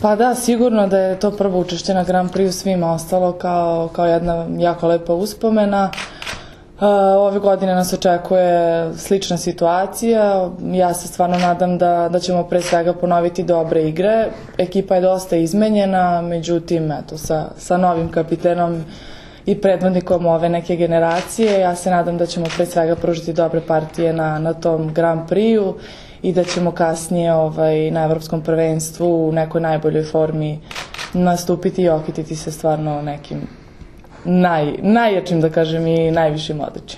Pa da, sigurno da je to prvo učešće na Grand Prix svima ostalo kao jedna jako lepa uspomena. Ove godine nas očekuje slična situacija. Ja se stvarno nadam da ćemo pre svega ponoviti dobre igre. Ekipa je dosta izmenjena, međutim, eto, sa novim kapitenom i predvodnikom ove neke generacije, ja se nadam da ćemo pre svega pružiti dobre partije na tom Grand Prix-u i da ćemo kasnije na Evropskom prvenstvu u nekoj najboljoj formi nastupiti i okititi se stvarno nekim najjačim, da kažem, i najvišim odličjem.